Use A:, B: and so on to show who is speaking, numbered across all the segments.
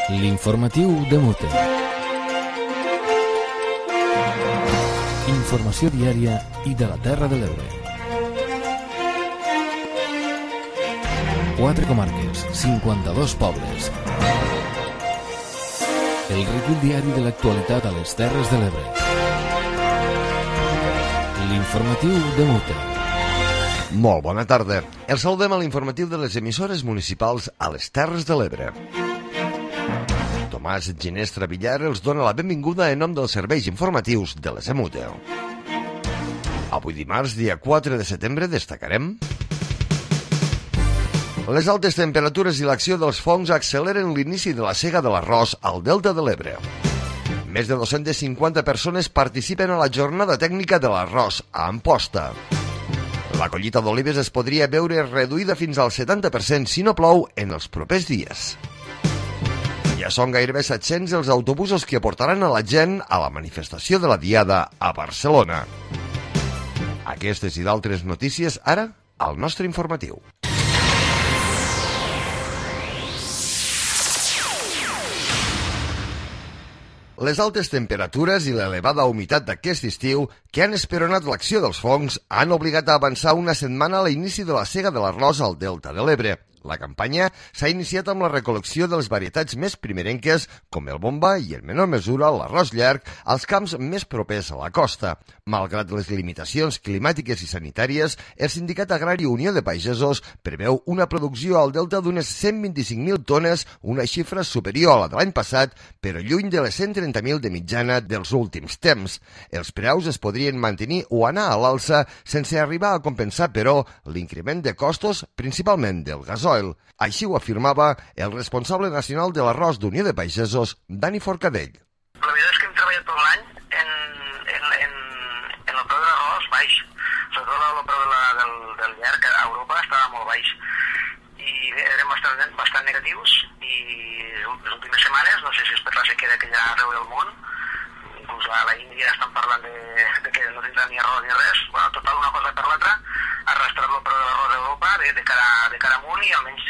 A: L'informatiu de Mute. Informació diària i de la Terra de l'Ebre. 4 comarques, 52 pobles. El recull diari de l'actualitat a les Terres de l'Ebre. L'informatiu de Mute.
B: Molt bona tarda. El saludem a l'informatiu de les emissores municipals a les Terres de l'Ebre. Tomàs Ginestra Villar els dona la benvinguda en nom dels serveis informatius de les EMUTE. Avui dimarts, dia 4 de setembre, destacarem: les altes temperatures i l'acció dels fongs acceleren l'inici de la sega de l'arròs al Delta de l'Ebre. Més de 250 persones participen a la jornada tècnica de l'arròs a Amposta. La collita d'olives es podria veure reduïda fins al 70% si no plou en els propers dies. Ja són gairebé 700 els autobusos que portaran a la gent a la manifestació de la Diada a Barcelona. Aquestes i d'altres notícies ara al nostre informatiu. Les altes temperatures i l'elevada humitat d'aquest estiu que han esperonat l'acció dels fongs han obligat a avançar una setmana a l'inici de la sega de l'arròs al Delta de l'Ebre. La campanya s'ha iniciat amb la recol·lecció de les varietats més primerenques, com el bomba i, en menor mesura, l'arròs llarg, als camps més propers a la costa. Malgrat les limitacions climàtiques i sanitàries, el Sindicat Agrari Unió de Pagesos preveu una producció al Delta d'unes 125.000 tones, una xifra superior a la de l'any passat, però lluny de les 130.000 de mitjana dels últims temps. Els preus es podrien mantenir o anar a l'alça sense arribar a compensar, però, l'increment de costos, principalment del gasoil. Així ho afirmava el responsable nacional de l'arròs d'Unió de Pagesos, Dani Forcadell.
C: La veritat és que hem treballat tot l'any en el preu de l'arròs baix, sobretot el preu del llarg a Europa estava molt baix i érem bastant negatius i les últimes setmanes, no sé si és per la sequera que hi ha arreu del món, inclús a la Índia estan parlant de que no tindrà ni arròs ni res, bueno, total una cosa per l'altra, ha arrastrat el preu de l'arròs a Europa de cara amunt i almenys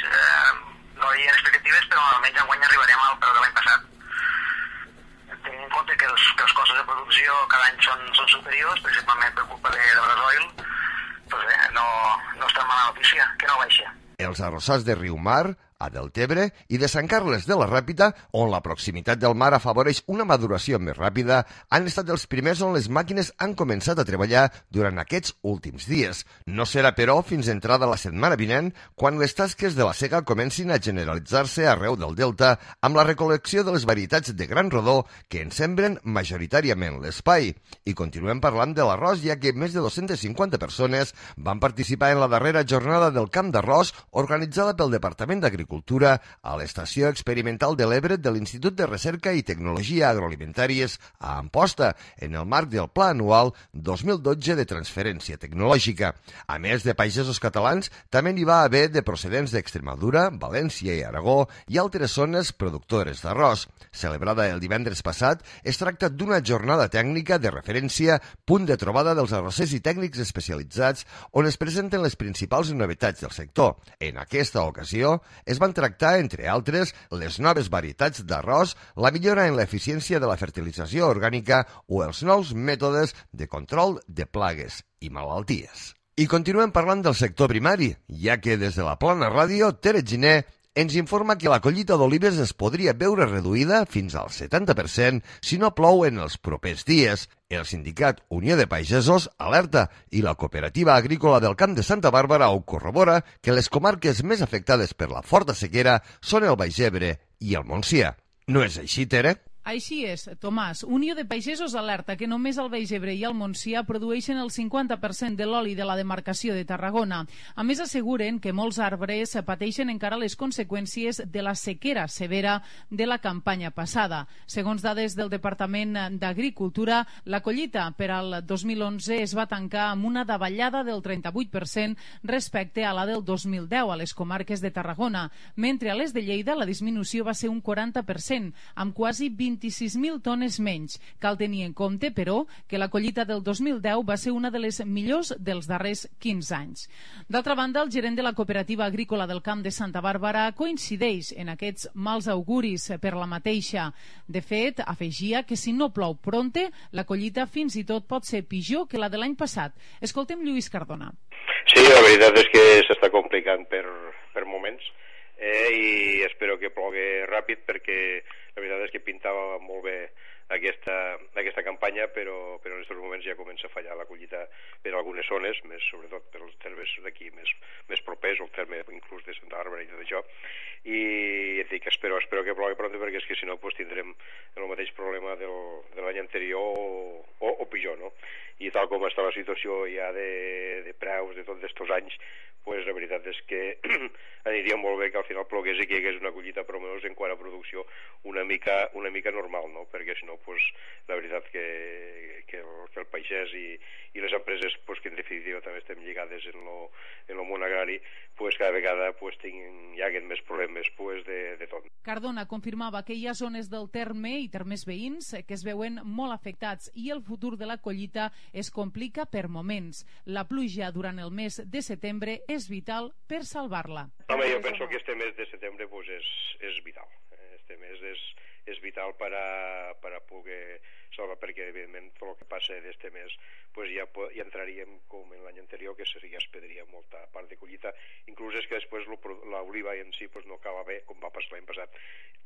C: no hi ha expectatives, però almenys enguany arribarem al preu de l'any passat. Tenint en compte que els costos de producció cada any són superiors, principalment per culpa del gasoil, doncs no és tan mala notícia, que no baixa.
B: Els arrossars de Riumar, a Deltebre i de Sant Carles de la Ràpita, on la proximitat del mar afavoreix una maduració més ràpida, han estat els primers on les màquines han començat a treballar durant aquests últims dies. No serà, però, fins entrada la setmana vinent, quan les tasques de la sega comencin a generalitzar-se arreu del Delta amb la recol·lecció de les varietats de gran rodó que en sembren majoritàriament l'espai. I continuem parlant de l'arròs, ja que més de 250 persones van participar en la darrera jornada del Camp d'Arròs organitzada pel Departament d'Agricultura a l'Estació Experimental de l'Ebre de l'Institut de Recerca i Tecnologia Agroalimentàries a Amposta, en el marc del Pla Anual 2012 de Transferència Tecnològica. A més de pagesos catalans, també n'hi va haver de procedents d'Extremadura, València i Aragó i altres zones productores d'arròs. Celebrada el divendres passat, es tracta d'una jornada tècnica de referència, punt de trobada dels arrossers i tècnics especialitzats, on es presenten les principals novetats del sector. En aquesta ocasió, es van tractar, entre altres, les noves varietats d'arròs, la millora en l'eficiència de la fertilització orgànica o els nous mètodes de control de plagues i malalties. I continuem parlant del sector primari, ja que des de la Plana Ràdio, Tere Giner ens informa que la collita d'olives es podria veure reduïda fins al 70% si no plou en els propers dies. El sindicat Unió de Pagesos alerta i la cooperativa agrícola del Camp de Santa Bàrbara ho corrobora que les comarques més afectades per la forta sequera són el Baix Ebre i el Montsià. No és així, Tere?
D: Així és, Tomàs. Unió de Pagesos alerta que només el Baix Ebre i el Montsià produeixen el 50% de l'oli de la demarcació de Tarragona. A més, asseguren que molts arbres pateixen encara les conseqüències de la sequera severa de la campanya passada. Segons dades del Departament d'Agricultura, la collita per al 2011 es va tancar amb una davallada del 38% respecte a la del 2010 a les comarques de Tarragona, mentre a les de Lleida la disminució va ser un 40%, amb quasi 20 26.000 tones menys. Cal tenir en compte, però, que la collita del 2010 va ser una de les millors dels darrers 15 anys. D'altra banda, el gerent de la Cooperativa Agrícola del Camp de Santa Bàrbara coincideix en aquests mals auguris per la mateixa. De fet, afegia que si no plou prompte, la collita fins i tot pot ser pitjor que la de l'any passat. Escoltem Lluís Cardona.
E: Sí, la veritat és que s'està complicant per moments i espero que plogui ràpid perquè la veritat és que pintava molt bé aquesta campanya, però en aquests moments ja comença a fallar la collita per algunes zones, més sobretot per els termes d'aquí més propers, el terme inclús de Santa Bàrbara i tot això, i dic, espero que plogui pront perquè és que si no pues, tindrem el mateix problema de l'any anterior o pitjor, no? I tal com està la situació ja de preus de tots aquests anys, pues la veritat és que aniria molt bé que al final plogués i que hi hagués una collita per almenys en quant a producció una mica normal, no? Perquè si no, pues, la veritat que el pagès i les empreses pues, que en definitiva també estem lligades en el món agrari, pues, cada vegada pues, hi haguen més problemes pues, de tot.
D: Cardona confirmava que hi ha zones del terme i termes veïns que es veuen molt afectats i el futur de la collita es complica per moments. La pluja durant el mes de setembre és vital per salvar-la.
E: Home, jo penso que este mes de setembre pues, és vital. Este mes és vital per a poder salvar, perquè evidentment tot el que passa d'este mes pues, ja entraríem com en l'any anterior, que ja es perdria molta part de collita, inclús és que després l'oliva en si pues, no acaba bé, com va passar l'any passat,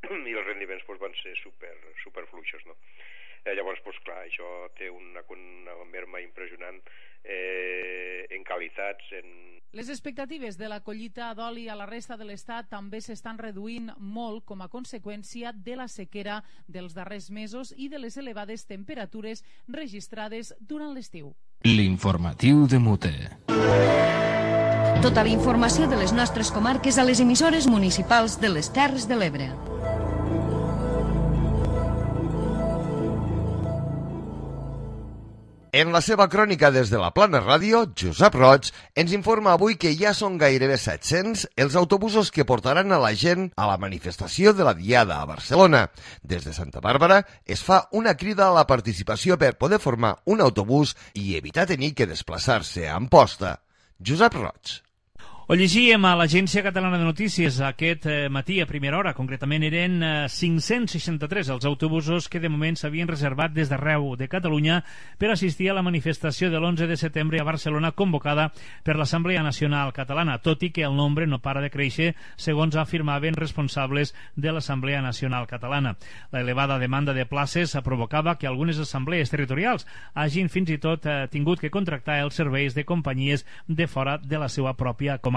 E: i els rendiments pues, van ser super fluixos, no? Llavors, pues, clar, això té una merma impressionant en qualitats,
D: Les expectatives de la collita d'oli a la resta de l'Estat també s'estan reduint molt com a conseqüència de la sequera dels darrers mesos i de les elevades temperatures registrades durant l'estiu.
A: L'informatiu de Mute.
F: Tota la informació de les nostres comarques a les emissores municipals de les Terres de l'Ebre.
B: En la seva crònica des de la Plana Ràdio, Josep Roig ens informa avui que ja són gairebé 700 els autobusos que portaran a la gent a la manifestació de la Diada a Barcelona. Des de Santa Bàrbara es fa una crida a la participació per poder formar un autobús i evitar tenir que desplaçar-se a Amposta. Josep Roig.
G: Ho llegíem a l'Agència Catalana de Notícies aquest matí a primera hora. Concretament eren 563 els autobusos que de moment s'havien reservat des d'arreu de Catalunya per assistir a la manifestació de l'11 de setembre a Barcelona convocada per l'Assemblea Nacional Catalana, tot i que el nombre no para de créixer, segons afirmaven responsables de l'Assemblea Nacional Catalana. La elevada demanda de places provocava que algunes assemblees territorials hagin fins i tot tingut que contractar els serveis de companyies de fora de la seva pròpia comarca.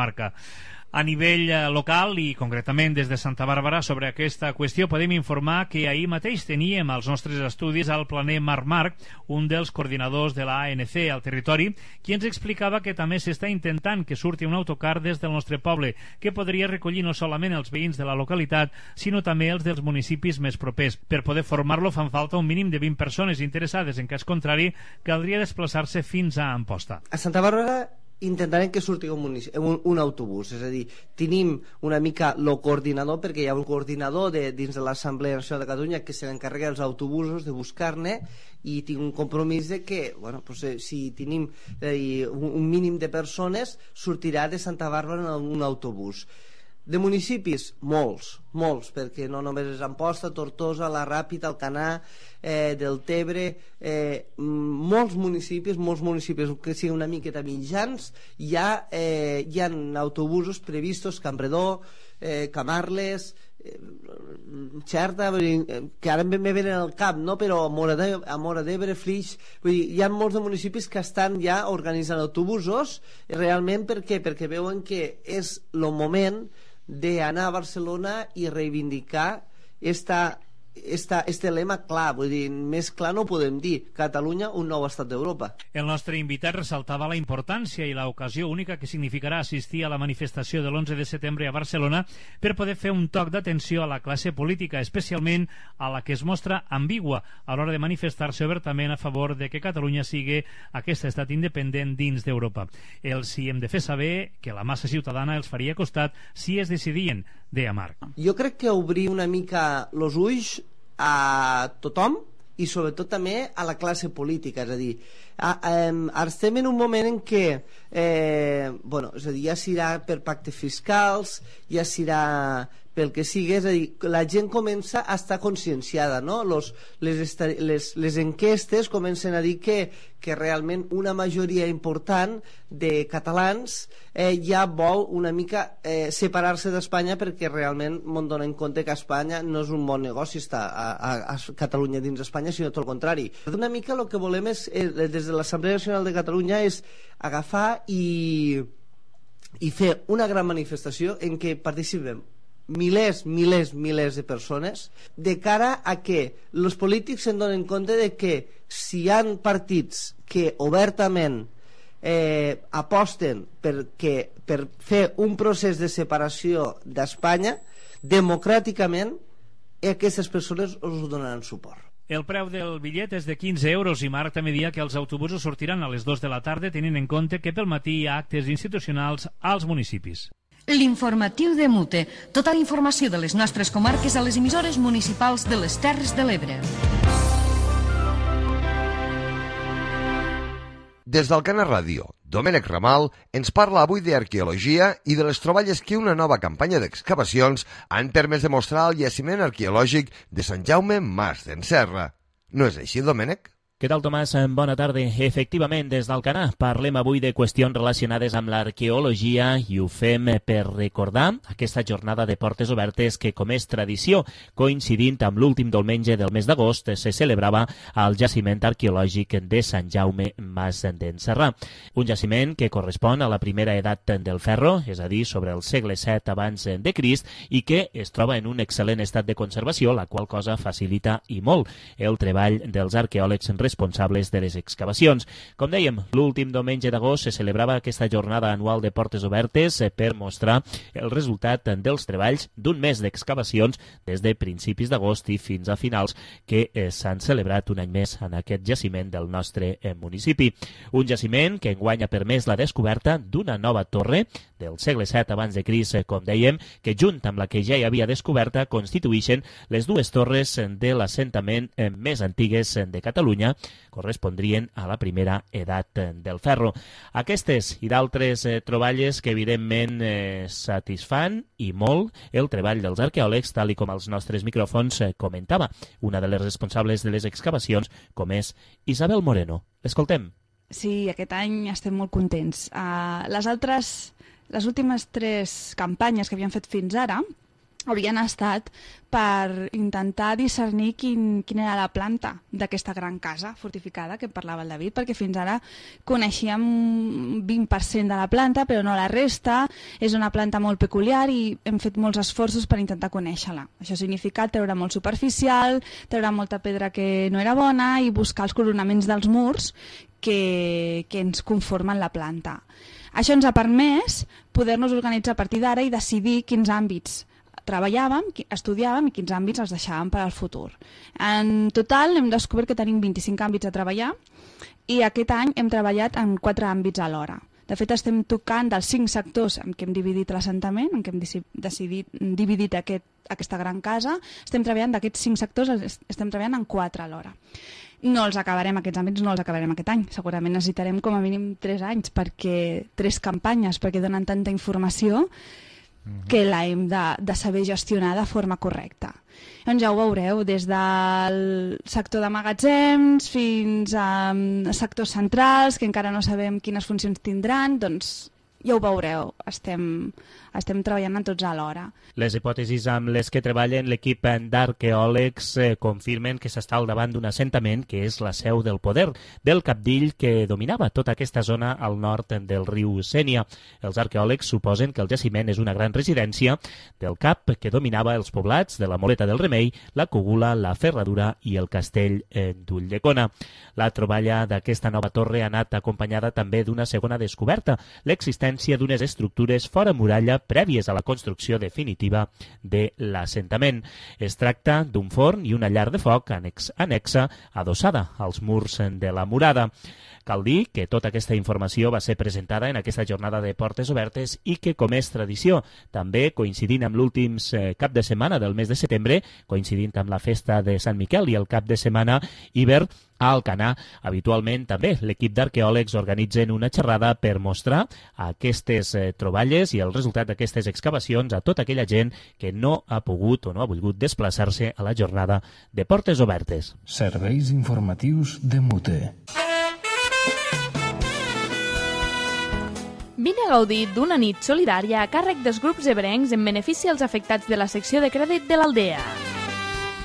G: A nivell local i concretament des de Santa Bàrbara sobre aquesta qüestió podem informar que ahir mateix teníem als nostres estudis al planer Marc Marc, un dels coordinadors de la ANC al territori, qui ens explicava que també s'està intentant que surti un autocar des del nostre poble que podria recollir no solament els veïns de la localitat sinó també els dels municipis més propers. Per poder formar-lo fan falta un mínim de 20 persones interessades, en cas contrari caldria desplaçar-se fins a Amposta.
H: A Santa Bàrbara intentarem que surti un autobús, és a dir, tenim una mica el coordinador, perquè hi ha un coordinador dins de l'Assemblea Nacional de Catalunya que se n'encarrega dels autobusos, de buscar-ne, i tinc un compromís de que bueno, pues, si tenim un mínim de persones sortirà de Santa Bàrbara en un autobús. De municipis, molts, perquè no només és Amposta, Tortosa, la Ràpita, Alcanar, del Tebre, molts municipis que siguin una miqueta mitjans, hi ha autobusos previstos, Campredó, Camarles, Xerta, que ara me venen al cap, no? Però a Móra d'Ebre, Flix, vull dir, hi ha molts de municipis que estan ja organitzant autobusos, realment per què? Perquè veuen que és el moment d'anar a Barcelona i reivindicar este lema clar, vull dir, més clar no ho podem dir, Catalunya, un nou estat d'Europa.
G: El nostre invitat ressaltava la importància i l'ocasió única que significarà assistir a la manifestació de l'11 de setembre a Barcelona per poder fer un toc d'atenció a la classe política, especialment a la que es mostra ambigua a l'hora de manifestar-se obertament a favor de que Catalunya sigui aquest estat independent dins d'Europa. Els hi hem de fer saber que la massa ciutadana els faria costat si es decidien, deia Marc.
H: Jo crec que obrir una mica els ulls a tothom i sobretot també a la classe política, és a dir, estem en un moment en què és a dir, ja serà per pactes fiscals, ja serà pel que sigui, és a dir, la gent comença a estar conscienciada, no? Les enquestes comencen a dir que realment una majoria important de catalans ja vol una mica separar-se d'Espanya, perquè realment m'en donen compte que Espanya no és un bon negoci estar a Catalunya dins d'Espanya, sinó tot el contrari. Una mica el que volem és, des de l'Assemblea Nacional de Catalunya, és agafar i fer una gran manifestació en què participem milers de persones, de cara a que els polítics se'n donen compte de que si hi ha partits que obertament aposten per fer un procés de separació d'Espanya, democràticament aquestes persones us donaran suport.
G: El preu del bitllet és de 15 euros i Marc també dia que els autobusos sortiran a les 2 de la tarda, tenint en compte que pel matí hi ha actes institucionals als municipis.
F: L'informatiu de Mute. Tota la informació de les nostres comarques a les emissores municipals de les Terres de l'Ebre.
B: Des d'Alcana Ràdio, Domènec Ramal ens parla avui d'arqueologia i de les troballes que una nova campanya d'excavacions han permès demostrar al jaciment arqueològic de Sant Jaume Mas d'en Serra. No és així, Domènec?
I: Què tal, Tomàs? Bona tarda. Efectivament, des d'Alcanar parlem avui de qüestions relacionades amb l'arqueologia i ho fem per recordar aquesta jornada de portes obertes que, com és tradició, coincidint amb l'últim diumenge del mes d'agost, se celebrava al jaciment arqueològic de Sant Jaume Mas d'en Serra. Un jaciment que correspon a la primera edat del ferro, és a dir, sobre el segle VII abans de Crist, i que es troba en un excel·lent estat de conservació, la qual cosa facilita i molt el treball dels arqueòlegs responsables de les excavacions. Com dèiem, l'últim diumenge d'agost se celebrava aquesta jornada anual de portes obertes per mostrar el resultat dels treballs d'un mes d'excavacions des de principis d'agost i fins a finals que s'han celebrat un any més en aquest jaciment del nostre municipi. Un jaciment que enguany ha permès la descoberta d'una nova torre del segle VII abans de Crist, com dèiem, que junt amb la que ja hi havia descoberta constituïxen les dues torres de l'assentament més antigues de Catalunya, correspondrien a la primera edat del ferro. Aquestes i d'altres troballes que evidentment satisfan i molt el treball dels arqueòlegs, tal i com els nostres micròfons comentava una de les responsables de les excavacions, com és Isabel Moreno. L'escoltem.
J: Sí, aquest any estem molt contents. Les últimes 3 campanyes que havíem fet fins ara haurien estat per intentar discernir quina era la planta d'aquesta gran casa fortificada que parlava el David, perquè fins ara coneixíem 20% de la planta, però no la resta. És una planta molt peculiar i hem fet molts esforços per intentar conèixer-la. Això significa treure molt superficial, treure molta pedra que no era bona i buscar els coronaments dels murs que ens conformen la planta. Això ens ha permès poder-nos organitzar a partir d'ara i decidir quins àmbits treballàvem, estudiàvem i quins àmbits els deixàvem per al futur. En total hem descobert que tenim 25 àmbits a treballar i aquest any hem treballat en 4 àmbits alhora. De fet, estem tocant dels 5 sectors en què hem dividit l'assentament, en què hem decidit dividit aquesta gran casa. Estem treballant d'aquests 5 sectors, estem treballant en 4 alhora. No els acabarem, aquests àmbits no els acabarem aquest any. Segurament necessitarem com a mínim 3 anys, 3 campanyes, perquè donen tanta informació que l'hem de saber gestionar de forma correcta. Doncs ja ho veureu, des del sector de magatzems fins a sectors centrals, que encara no sabem quines funcions tindran, doncs ja ho veureu, estem treballant en tots alhora.
I: Les hipòtesis amb les que treballen l'equip d'arqueòlegs confirmen que s'està al davant d'un assentament que és la seu del poder, del cabdill que dominava tota aquesta zona al nord del riu Sénia. Els arqueòlegs suposen que el jaciment és una gran residència del cap que dominava els poblats de la Moleta del Remei, la Cogula, la Ferradura i el castell d'Ulldecona. La troballa d'aquesta nova torre ha anat acompanyada també d'una segona descoberta, l'existència l'existència d'unes estructures fora muralla prèvies a la construcció definitiva de l'assentament. Es tracta d'un forn i una llar de foc anexa adossada als murs de la murada. Cal dir que tota aquesta informació va ser presentada en aquesta jornada de portes obertes i que, com és tradició, també coincidint amb l'últim cap de setmana del mes de setembre, coincidint amb la festa de Sant Miquel i el cap de setmana hivern, a Alcanar, habitualment també l'equip d'arqueòlegs organitzen una xerrada per mostrar aquestes troballes i el resultat d'aquestes excavacions a tota aquella gent que no ha pogut o no ha volgut desplaçar-se a la jornada de portes obertes.
A: Serveis informatius de Mute.
K: Vine a gaudir d'una nit solidària a càrrec dels grups ebrencs en benefici als afectats de la secció de crèdit de l'Aldea.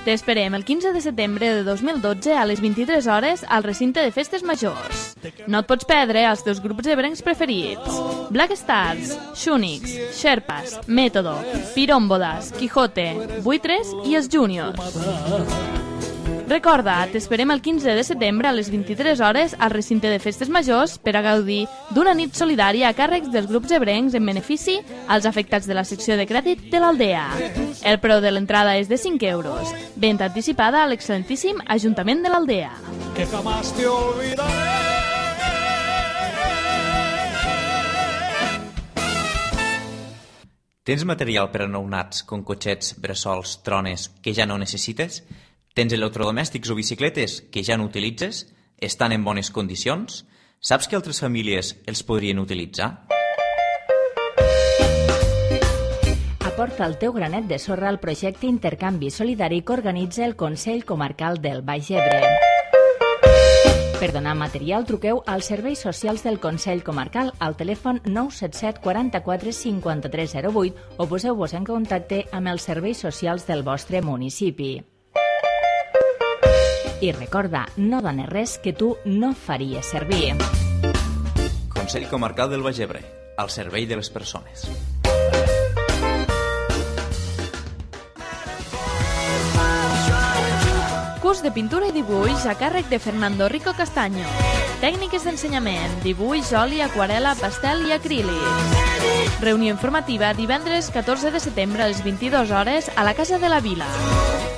K: T'esperem el 15 de setembre de 2012 a les 23 hores al recinte de festes majors. No et pots perdre els teus grups ebrencs preferits: Black Stars, Shunix, Sherpas, Método, Pirómbodas, Quijote, Buitres i els Júniors. Recorda, t'esperem el 15 de setembre a les 23 hores al recinte de festes majors per a gaudir d'una nit solidària a càrrecs dels grups ebrencs en benefici als afectats de la secció de crèdit de l'Aldea. El preu de l'entrada és de 5 euros. Venda anticipada a l'excel·lentíssim Ajuntament de l'Aldea.
L: Que jamás te olvidaré.
M: Tens material per a nounats com cotxets, bressols, trones que ja no necessites? Tens electrodomèstics o bicicletes que ja no utilitzes? Estan en bones condicions? Saps que altres famílies els podrien utilitzar?
N: Aporta el teu granet de sorra al projecte Intercanvi Solidari que organitza el Consell Comarcal del Baix Ebre. Per donar material, truqueu als serveis socials del Consell Comarcal al telèfon 977 44 53 08 o poseu-vos en contacte amb els serveis socials del vostre municipi. I recorda, no dones res que tu no faries servir.
M: Consell Comarcal del Baix Ebre, al servei de les persones.
K: Curs de pintura i dibuix a càrrec de Fernando Rico Castaño. Tècniques d'ensenyament, dibuix, oli, aquarela, pastel i acrílic. Reunió informativa divendres 14 de setembre a les 22 hores a la Casa de la Vila.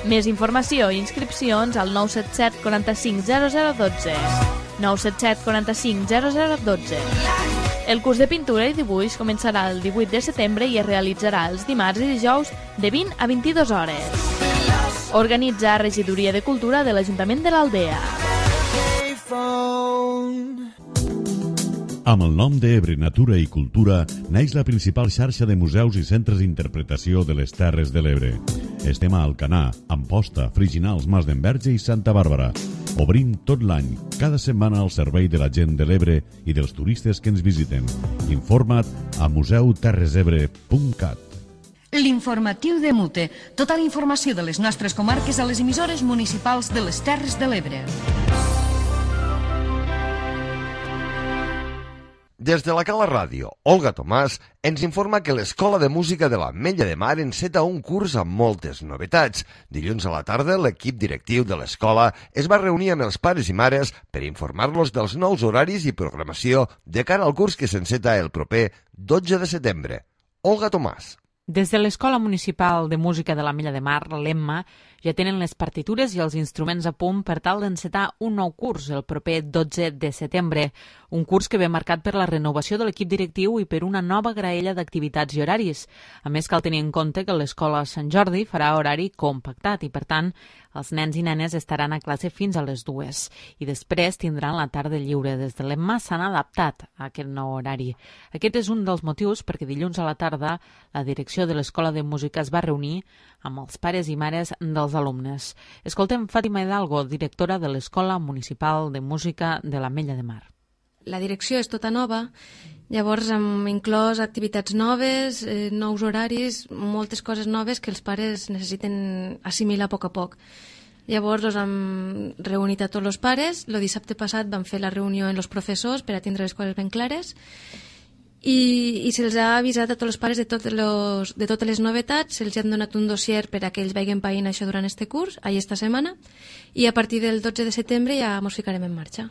K: Més informació i inscripcions al 977 45 0012. 977 45 0012. El curs de pintura i dibuix començarà el 18 de setembre i es realitzarà els dimarts i dijous de 20 a 22 hores. Organitza Regidoria de Cultura de l'Ajuntament de l'Aldea.
O: Amb el nom d'Ebre Natura i Cultura naix la principal xarxa de museus i centres d'interpretació de les Terres de l'Ebre. Estem a Alcanar, Amposta, Friginals, Mas d'Enverge i Santa Bàrbara. Obrim tot l'any, cada setmana al servei de la gent de l'Ebre i dels turistes que ens visiten. Informa't a museuterresebre.cat.
F: L'informatiu de Mute. Tota la informació de les nostres comarques a les emissores municipals de les Terres de l'Ebre.
B: Des de la Cala Ràdio, Olga Tomàs ens informa que l'Escola de Música de l'Ametlla de Mar enceta un curs amb moltes novetats. Dilluns a la tarda, l'equip directiu de l'escola es va reunir amb els pares i mares per informar-los dels nous horaris i programació de cara al curs que s'enceta el proper 12 de setembre. Olga Tomàs.
P: Des de l'Escola Municipal de Música de l'Ametlla de Mar, l'EMMA, ja tenen les partitures i els instruments a punt per tal d'encetar un nou curs el proper 12 de setembre. Un curs que ve marcat per la renovació de l'equip directiu i per una nova graella d'activitats i horaris. A més, cal tenir en compte que l'Escola Sant Jordi farà horari compactat i, per tant, els nens i nenes estaran a classe fins a les 2 i després tindran la tarda lliure. Des de l'EMMA s'han adaptat a aquest nou horari. Aquest és un dels motius perquè dilluns a la tarda la direcció de l'Escola de Música es va reunir amb els pares i mares dels alumnes. Escoltem Fàtima Hidalgo, directora de l'Escola Municipal de Música de l'Ametlla de Mar.
Q: La direcció és tota nova, llavors hem inclòs activitats noves, nous horaris, moltes coses noves que els pares necessiten assimilar a poc a poc. Llavors hem reunit a tots els pares, el dissabte passat vam fer la reunió amb els professors per a tindre les coses ben clares i se'ls ha avisat a tots els pares de totes les novetats, se'ls ha donat un dossier per a que ells vegin païnt això durant este curs, esta setmana, i a partir del 12 de setembre ja ens ficarem en marxa.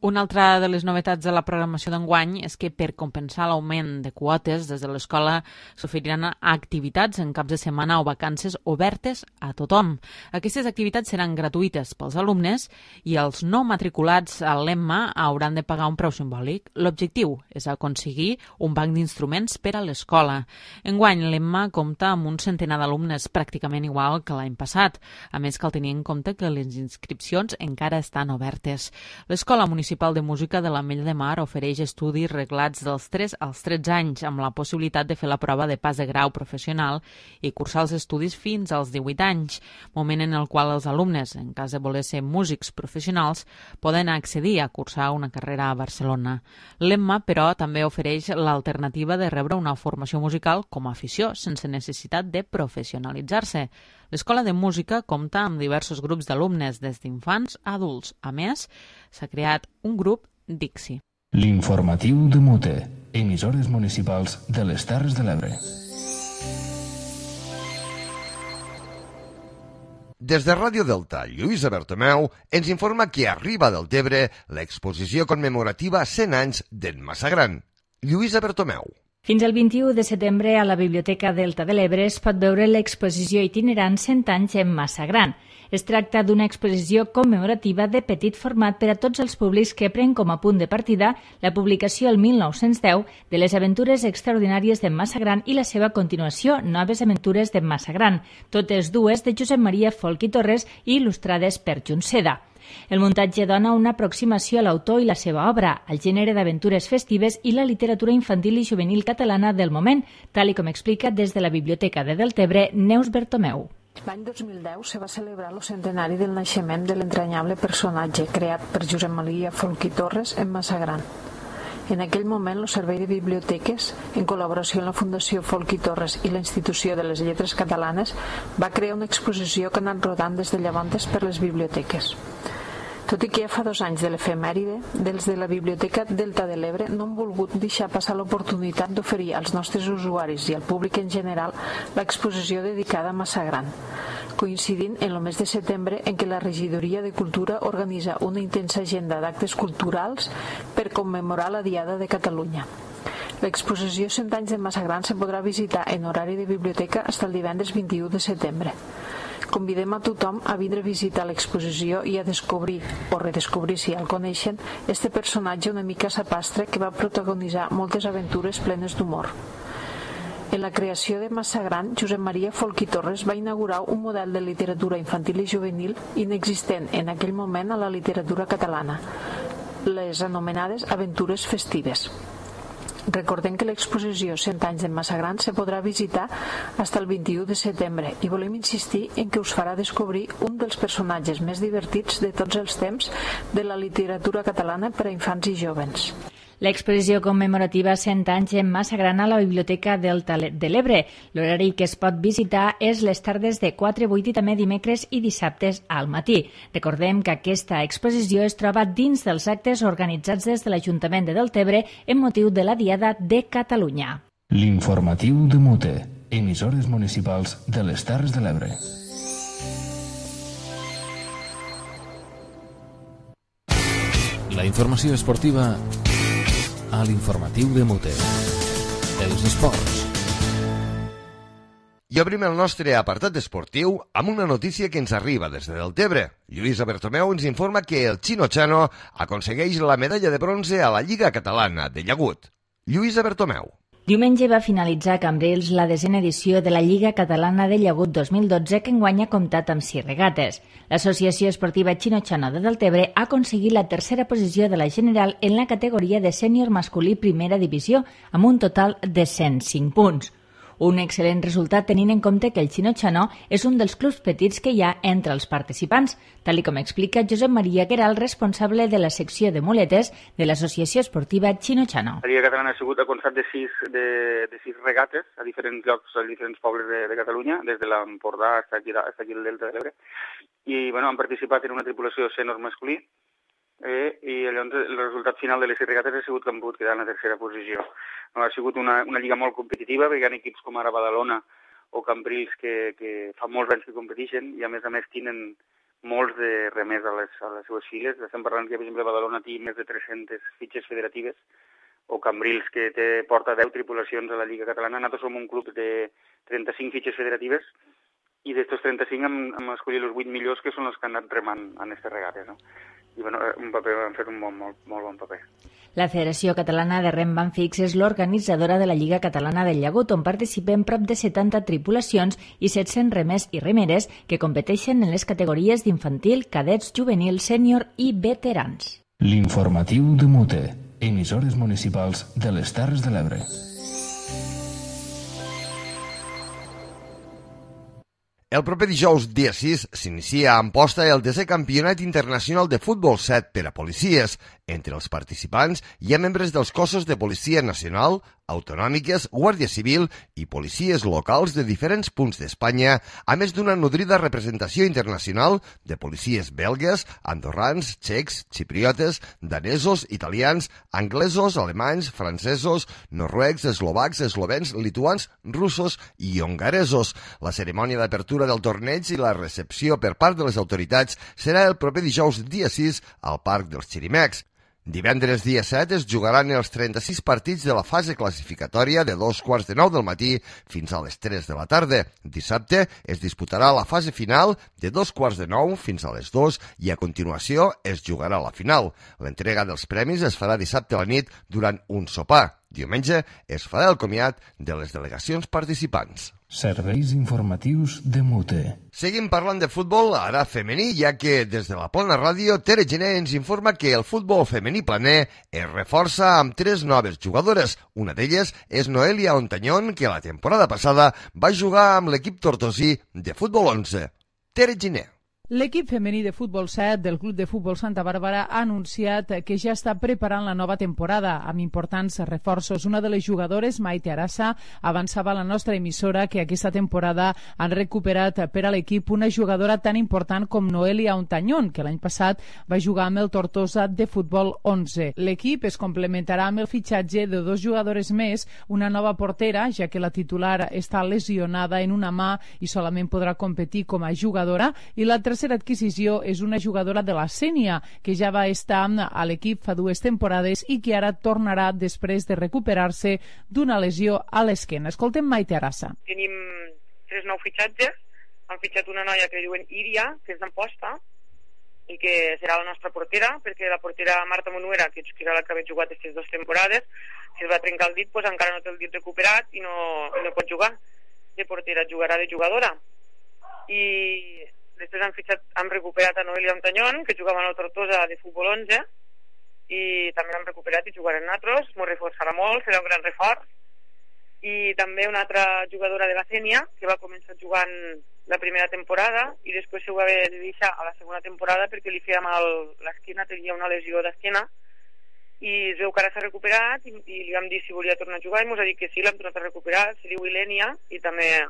P: Una altra de les novetats de la programació d'enguany és que per compensar l'augment de quotes des de l'escola s'oferiran activitats en caps de setmana o vacances obertes a tothom. Aquestes activitats seran gratuïtes pels alumnes i els no matriculats a l'EMMA hauran de pagar un preu simbòlic. L'objectiu és aconseguir un banc d'instruments per a l'escola. Enguany l'EMMA compta amb un centenar d'alumnes pràcticament igual que l'any passat. A més, cal tenir en compte que les inscripcions encara estan obertes. L'Escola Municipal de Música de l'Ametlla de Mar ofereix estudis reglats dels 3 als 13 anys amb la possibilitat de fer la prova de pas de grau professional i cursar els estudis fins als 18 anys, moment en el qual els alumnes, en cas de voler ser músics professionals, poden accedir a cursar una carrera a Barcelona. L'EMMA, però, també ofereix l'alternativa de rebre una formació musical com a afició, sense necessitat de professionalitzar-se. L'Escola de Música compta amb diversos grups d'alumnes, des d'infants a adults. A més, s'ha creat un grup Dixi.
A: L'informatiu de Mute, emissores municipals de les Terres de l'Ebre.
B: Des de Ràdio Delta, Lluïsa Bertomeu ens informa que arriba del Tebre l'exposició commemorativa 100 anys d'en Massagran. Lluïsa Bertomeu.
N: Fins al 21 de setembre a la Biblioteca Delta de l'Ebre es pot veure l'exposició itinerant 100 anys en Massagran. Es tracta d'una exposició commemorativa de petit format per a tots els públics que pren com a punt de partida la publicació el 1910 de les aventures extraordinàries d'en Massagran i la seva continuació, Noves aventures d'en Massagran, totes dues de Josep Maria Folch i Torres i il·lustrades per Junceda. El muntatge dona una aproximació a l'autor i la seva obra, al gènere d'aventures festives i la literatura infantil i juvenil catalana del moment, tal com explica des de la Biblioteca de Deltebre Neus Bertomeu.
R: L'any 2010 se va celebrar el centenari del naixement de l'entranyable personatge creat per Josep Maria Folch i Torres en Massagran. En aquell moment, el Servei de Biblioteques, en col·laboració amb la Fundació Folch i Torres i la Institució de les Lletres Catalanes, va crear una exposició que ha anat rodant des de llavors per les biblioteques. Tot i que ja fa 2 anys de l'efemèride, dels de la Biblioteca Delta de l'Ebre no han volgut deixar passar l'oportunitat d'oferir als nostres usuaris i al públic en general l'exposició dedicada a Massagran, coincidint en el mes de setembre en què la Regidoria de Cultura organitza una intensa agenda d'actes culturals per commemorar la Diada de Catalunya. L'exposició 100 anys de Massagran se podrà visitar en horari de biblioteca fins el divendres 21 de setembre. Convidem a tothom a vindre a visitar l'exposició i a descobrir, o redescobrir si el coneixen, este personatge una mica sapastre que va protagonitzar moltes aventures plenes d'humor. En la creació de Massagran, Josep Maria Folch i Torres va inaugurar un model de literatura infantil i juvenil inexistent en aquell moment a la literatura catalana, les anomenades aventures festives. Recordem que l'exposició 100 anys de Massagran se podrà visitar fins el 21 de setembre i volem insistir en que us farà descobrir un dels personatges més divertits de tots els temps de la literatura catalana per a infants i jovens.
N: L'exposició commemorativa 100 anys en Massagran a la Biblioteca Delta de l'Ebre. L'horari que es pot visitar és les tardes de 4 a 8 i també dimecres i dissabtes al matí. Recordem que aquesta exposició es troba dins dels actes organitzats des de l'Ajuntament de Deltebre en motiu de la Diada de Catalunya.
A: L'informatiu de Mute, emissores municipals de les Terres de l'Ebre. La informació esportiva a l'informatiu de Mute. Els esports.
B: I obrim el nostre apartat esportiu amb una notícia que ens arriba des de Deltebre. Lluïsa Bertomeu ens informa que el Chino Chano aconsegueix la medalla de bronze a la Lliga Catalana de Llagut. Lluïsa Bertomeu.
N: Diumenge va finalitzar a Cambrils la 10a edició de la Lliga Catalana de Llagut 2012 que enguany ha comptat amb 6 regates. L'Associació Esportiva Chino Chano de Deltebre ha aconseguit la 3a posició de la general en la categoria de sènior masculí primera divisió amb un total de 105 punts. Un excel·lent resultat tenint en compte que el Chino Chano és un dels clubs petits que hi ha entre els participants, tal com explica Josep Maria Gueral, responsable de la secció de muletes de l'Associació Esportiva Chino Chano.
S: La Lliga Catalana ha sigut a constat de 6 regates a diferents llocs, a diferents pobles de Catalunya, des de l'Empordà fins aquí el Delta de l'Ebre, i han participat en una tripulació sènior masculí, i llavors el resultat final de les 6 regates ha sigut que han pogut quedar en la 3a posició. Ha sigut una lliga molt competitiva, perquè hi ha equips com ara Badalona o Cambrils que fa molts anys que competeixen i a més tenen molts de remers a les seues files. Estem parlant que, per exemple, Badalona té més de 300 fitxes federatives, o Cambrils, que porta 10 tripulacions a la Lliga Catalana. Nosaltres som un club de 35 fitxes federatives, i d'estos 35 hem escollit els 8 millors, que són els que han anat remant en aquestes regates, no? I bueno, han fet un molt bon paper.
N: La Federació Catalana de Rem Banfix és l'organitzadora de la Lliga Catalana del Llagut, on participen prop de 70 tripulacions i 700 remers i remeres que competeixen en les categories d'infantil, cadets, juvenil, sènior i veterans.
A: L'informatiu de Mute, emissores municipals de les Terres de l'Ebre.
B: El proper dijous, dia 6, s'inicia a Amposta el 10è Campionat Internacional de Futbol 7 per a policies. Entre els participants hi ha membres dels cossos de Policia Nacional, autonòmiques, Guàrdia Civil i policies locals de diferents punts d'Espanya, a més d'una nodrida representació internacional de policies belgues, andorrans, txecs, xipriotes, danesos, italians, anglesos, alemanys, francesos, noruecs, eslovacs, eslovens, lituans, russos i hongaresos. La cerimònia d'apertura del torneig i la recepció per part de les autoritats serà el proper dijous dia 6 al Parc dels Xirimecs. Divendres dia 7 es jugaran els 36 partits de la fase classificatòria de 2:45 del matí fins a les 3 de la tarda. Dissabte es disputarà la fase final de 2:45 fins a les 2 i a continuació es jugarà la final. L'entrega dels premis es farà dissabte a la nit durant un sopar. Diumenge es farà el comiat de les delegacions participants.
A: Serveis informatius de Mute.
B: Seguim parlant de futbol, ara femení, ja que des de la Plana Ràdio, Tere Gené ens informa que el futbol femení planer es reforça amb 3 noves jugadores. Una d'elles és Noelia Ontañón, que la temporada passada va jugar amb l'equip tortosí de futbol 11. Tere Gené.
D: L'equip femení de futbol 7 del Club de Futbol Santa Bàrbara ha anunciat que ja està preparant la nova temporada amb importants reforços. Una de les jugadores, Maite Arassa, avançava a la nostra emissora que aquesta temporada han recuperat per a l'equip una jugadora tan important com Noelia Ontañón, que l'any passat va jugar amb el Tortosa de futbol 11. L'equip es complementarà amb el fitxatge de 2 jugadores més, una nova portera, ja que la titular està lesionada en una mà i solament podrà competir com a jugadora, i la tercera adquisició és una jugadora de la Sénia, que ja va estar a l'equip fa 2 temporades i que ara tornarà després de recuperar-se d'una lesió a l'esquena. Escoltem Maite Arassa.
T: Tenim 3 nous fitxatges. Han fitxat una noia que diuen Iria, que és d'Amposta, i que serà la nostra portera, perquè la portera Marta Monuera, que era la que havia jugat aquestes 2 temporades, si es va trencar el dit, pues encara no té el dit recuperat i no pot jugar de portera, jugarà de jugadora. I després han recuperat a Noelia Ontañón, que jugava a la Tortosa de futbol 11, i també l'han recuperat i jugarem nosaltres, m'ho reforçarà molt, serà un gran reforç. I també una altra jugadora de la Sénia, que va començar jugant la primera temporada i després s'ho va haver de deixar a la segona temporada perquè li feia mal l'esquena, tenia una lesió d'esquena, i es veu que ara s'ha recuperat i li vam dir si volia tornar a jugar i ens ha dit que sí, l'hem tornat a recuperar. Se diu Ilènia i també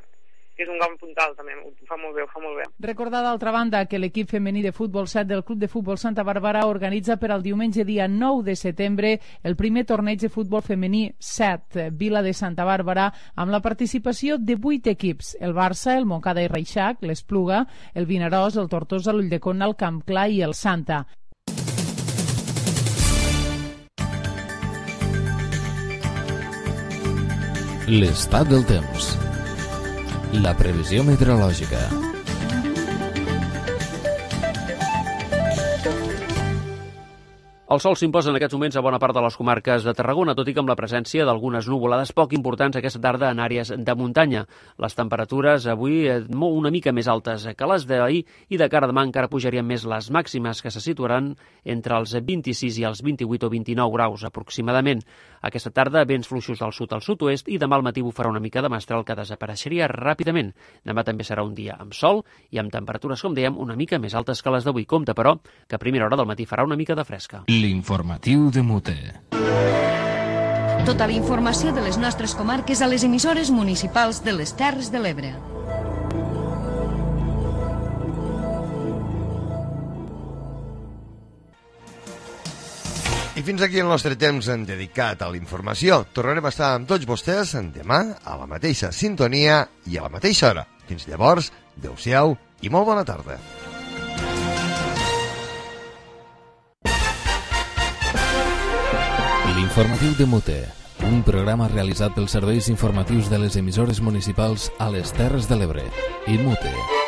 T: és un gran puntal, també, ho fa molt bé,
D: Recordar d'altra banda que l'equip femení de futbol 7 del Club de Futbol Santa Bàrbara organitza per al diumenge dia 9 de setembre el primer torneig de futbol femení 7, Vila de Santa Bàrbara, amb la participació de 8 equips: el Barça, el Montcada i Reixac, l'Espluga, el Vinaròs, el Tortosa, l'Ulldecona, el Camp Clar i el Santa.
A: L'estat del temps. La previsió meteorològica.
U: El sol s'imposa en aquests moments a bona part de les comarques de Tarragona, tot i que amb la presència d'algunes nuvolades poc importants aquesta tarda en àrees de muntanya. Les temperatures avui una mica més altes que les d'ahir i de cara a demà encara pujarien més les màximes, que se situaran entre els 26 i els 28 o 29 graus aproximadament. Aquesta tarda vents fluixos del sud al sud-oest i demà al matí bufarà una mica de mestral que desapareixeria ràpidament. Demà també serà un dia amb sol i amb temperatures, com dèiem, una mica més altes que les d'avui. Compte, però, que a primera hora del matí farà una mica de fresca.
A: L'informatiu de Mute.
F: Tota la informació de les nostres comarques a les emissores municipals de les Terres de l'Ebre.
B: I fins aquí el nostre temps dedicat a la informació. Tornarem a estar amb tots vostès demà a la mateixa sintonia i a la mateixa hora. Fins llavors, adeu-siau i molt bona tarda.
A: Informatiu de Mute, un programa realitzat pels serveis informatius de les emissores municipals a les Terres de l'Ebre. I Mute.